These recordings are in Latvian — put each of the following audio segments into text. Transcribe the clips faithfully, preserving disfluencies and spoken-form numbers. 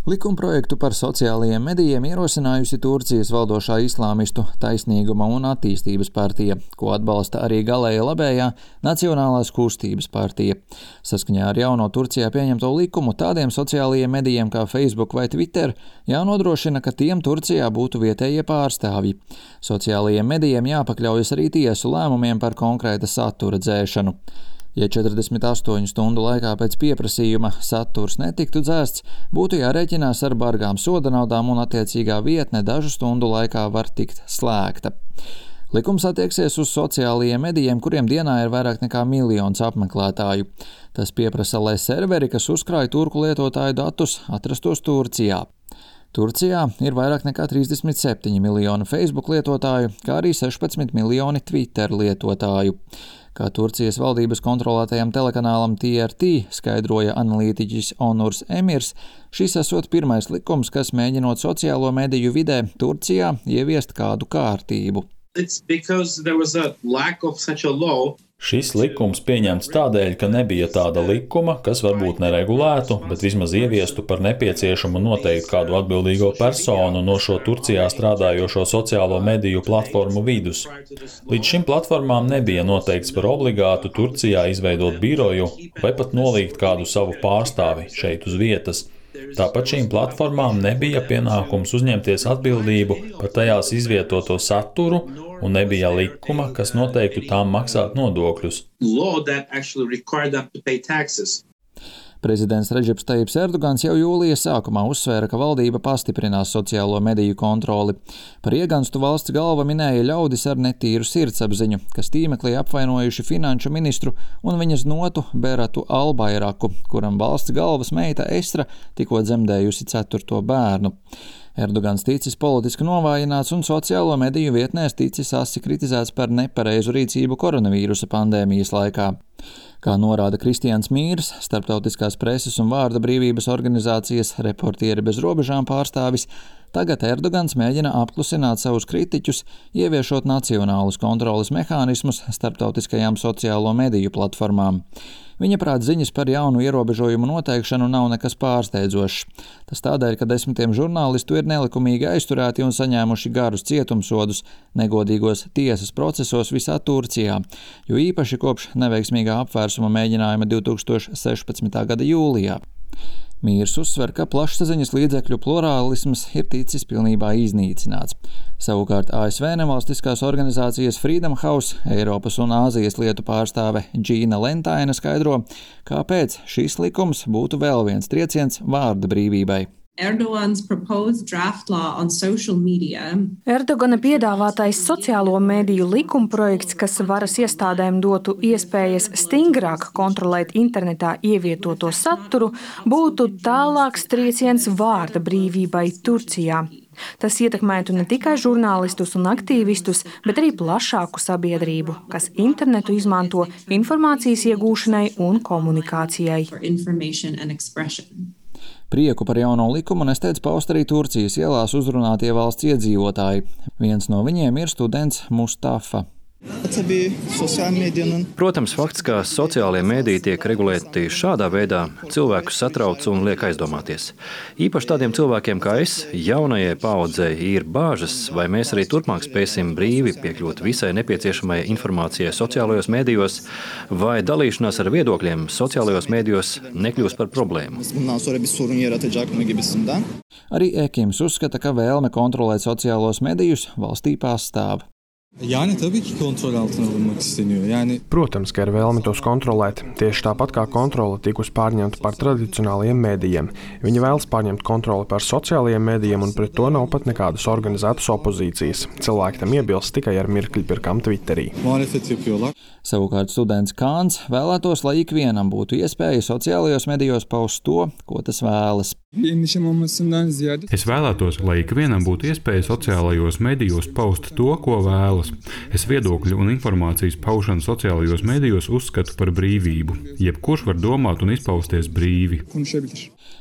Likumprojektu par sociālajiem medijiem ierosinājusi Turcijas valdošā islāmistu Taisnīguma un attīstības partija, ko atbalsta arī galēja labējā Nacionālās kustības partija. Saskaņā ar jauno Turcijā pieņemto likumu tādiem sociālajiem medijiem kā Facebook vai Twitter jānodrošina, ka tiem Turcijā būtu vietējie pārstāvji. Sociālajiem medijiem jāpakļaujas arī tiesu lēmumiem par konkrēta satura dzēšanu. Ja četrdesmit astoņu stundu laikā pēc pieprasījuma saturs netiktu dzēsts, būtu jārēķinās ar bargām soda naudām un attiecīgā vietne dažu stundu laikā var tikt slēgta. Likums attieksies uz sociālajiem medijiem, kuriem dienā ir vairāk nekā miljons apmeklētāju. Tas pieprasa, lai serveri, kas uzkrāj turku lietotāju datus, atrastos Turcijā. Turcijā ir vairāk nekā trīsdesmit septiņi miljoni Facebook lietotāju, kā arī sešpadsmit miljoni Twitter lietotāju. Kā Turcijas valdības kontrolētajam telekanālam T R T skaidroja analītiķis Onurs Emirs, šis esot pirmais likums, kas mēģinot sociālo mediju vidē Turcijā ieviest kādu kārtību. Šis likums pieņemts tādēļ, ka nebija tāda likuma, kas varbūt neregulētu, bet vismaz ieviestu par nepieciešamu noteikt kādu atbildīgo personu no šo Turcijā strādājošo sociālo mediju platformu vidus. Līdz šim platformām nebija noteikts par obligātu Turcijā izveidot biroju vai pat nolikt kādu savu pārstāvi šeit uz vietas. Tāpat šīm platformām nebija pienākums uzņemties atbildību par tajās izvietoto saturu un nebija likuma, kas noteiktu tām maksāt nodokļus. Prezidents Redžeps Tajips Erdogans jau jūlija sākumā uzsvēra, ka valdība pastiprinās sociālo mediju kontroli. Par ieganstu valsts galva minēja ļaudis ar netīru sirdsapziņu, kas tīmeklī apvainojuši finanšu ministru un viņas notu Beratu Albayraku, kuram valsts galvas meita Estra tikko dzemdējusi ceturto bērnu. Erdogans ticis politiski novājināts un sociālo mediju vietnēs ticis asi kritizēts par nepareizu rīcību koronavīrusa pandēmijas laikā. Kā norāda Kristians Mīrs, starptautiskās preses un vārda brīvības organizācijas Reportieri bez robežām pārstāvis, tagad Erdogans mēģina apklusināt savus kritiķus, ieviešot nacionālus kontroles mehānismus starptautiskajām sociālo mediju platformām. Viņa prāt ziņas par jaunu ierobežojumu noteikšanu nav nekas pārsteidzošs. Tas tādēļ, ka desmitiem žurnālistu ir nelikumīgi aizturēti un saņēmuši garus cietumsodus negodīgos tiesas procesos visā Turcijā, jo īpaši kopš neveiksmīgā apvērsuma mēģinājuma divtūkstoš sešpadsmitā gada jūlijā. Mīrs uzsver, ka plašsaziņas līdzekļu plurālisms ir ticis pilnībā iznīcināts. Savukārt A S V nevalstiskās organizācijas Freedom House, Eiropas un Āzijas lietu pārstāve Džīna Lentaina skaidro, kāpēc šis likums būtu vēl viens trieciens vārda brīvībai. Erdogan's proposed draft law on social media. Erdogana piedāvātais sociālo mediju likumprojekts, kas varas iestādēm dotu iespējas stingrāk kontrolēt internetā ievietoto saturu, būtu tālāks trieciens vārda brīvībai Turcijā. Tas ietekmētu ne tikai žurnālistus un aktīvistus, bet arī plašāku sabiedrību, kas internetu izmanto informācijas iegūšanai un komunikācijai. Prieku par jauno likumu nesteidz paust arī Turcijas ielās uzrunātie valsts iedzīvotāji. Viens no viņiem ir students Mustafa. Protams, fakts, ka sociālie mēdīji tiek regulēti šādā veidā, cilvēkus satrauc un liek aizdomāties. Īpaši tādiem cilvēkiem kā es, jaunajai paaudzei, ir bāžas, vai mēs arī turpmāk spēsim brīvi piekļūt visai nepieciešamai informācijai sociālajos mēdījos, vai dalīšanās ar viedokļiem sociālajos mēdījos nekļūs par problēmu. Arī Ekims uzskata, ka vēlme kontrolēt sociālos medijus valstī pastāv. Yani tabii ki kontrol altına alınmak isteniyor. Yani Protams, ka ir vēlme tos kontrolēt, tieši tāpat kā kontrole tikus pārņemta par tradicionālajiem mēdījiem. Viņi vēlas pārņemt kontroli par sociālajiem mēdījiem, un pret to nav pat nekādas organizētas opozīcijas. Cilvēki tam iebilst tikai ar mirkļpirkām Twitterī. muhalefet yapıyorlar. Savukārt students Kāns vēlētos, lai ikvienam būtu iespēja sociālajos medijos paust to, ko tas vēlas. Es vēlētos, lai ikvienam būtu iespēja sociālajos medijos paust to, ko vēlas. izvēles. Es viedokļu un informācijas paušanu sociālajos medijos uzskatu par brīvību. Jebkurš var domāt un izpausties brīvi.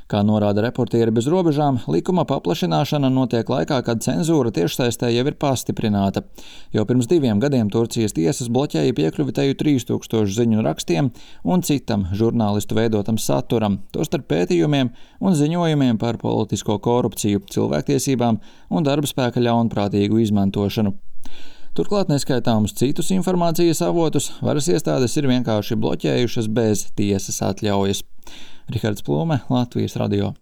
Kā norāda Reportieri bez robežām, likuma paplašināšana notiek laikā, kad cenzūra tiešsaistē jau ir pastiprināta. Jau pirms diviem gadiem Turcijas tiesas bloķēja piekļuvi teju trīs tūkstošu ziņu rakstiem un citam žurnālistu veidotam saturam, tostarp pētījumiem un ziņojumiem par politisko korupciju, cilvēktiesībām un darbspēka ļaunprātīgu izmantošanu. Turklāt neskaitāmus citus informācijas avotus varas iestādes ir vienkārši bloķējušas bez tiesas atļaujas. Rihards Plūme, Latvijas radio.